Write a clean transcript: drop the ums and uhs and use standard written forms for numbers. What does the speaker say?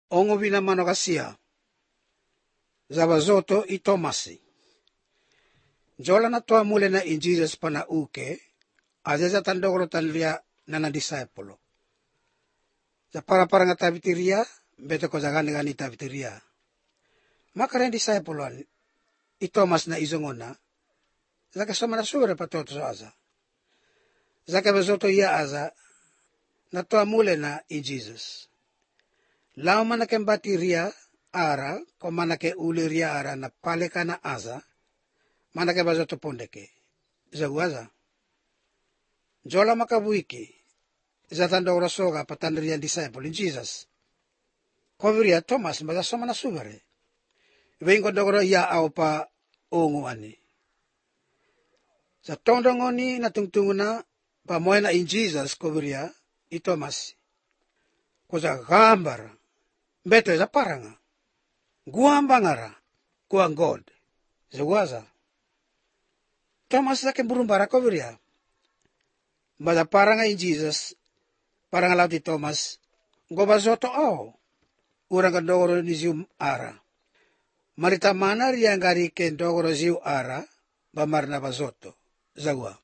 ongo vina mano kasia. Zabazoto i Tomasi. Jola na toa mule na in Jesus pana uke, aja tandogro tanlia na disipolo. Za para nga tabitiria, beto ko gani tabitiria. Makaren disipoloan, i Thomas na izongona, zaka sama na sura patoto sa aza. Zaka bazoto iya aza, na toa mule na in Jesus. Lao manake mbatiria ara, ko manake uliria ara na paleka na aza, manake bazoto pondeke. Zaguaza. Jola makabuiki, zatandogro soga patandrian disciple in Jesus. Koviria Thomas baza sama na sugare. Vengo dogro ya au pa ongu ani. Sa tondongoni na tungtunguna pa moena in Jesus koviria i Thomas. Koza gambara. Beto za paranga. Guambangara. Kuang God. Zaguaza. Thomas zake burumbara koviria. Baza paranga in Jesus. Paranga lauti Thomas. Gobazoto au. Urang kadogoro ni zium ara. Marita mana riangari ken dogoro ziu ara. Bamarna bazoto. Zagua.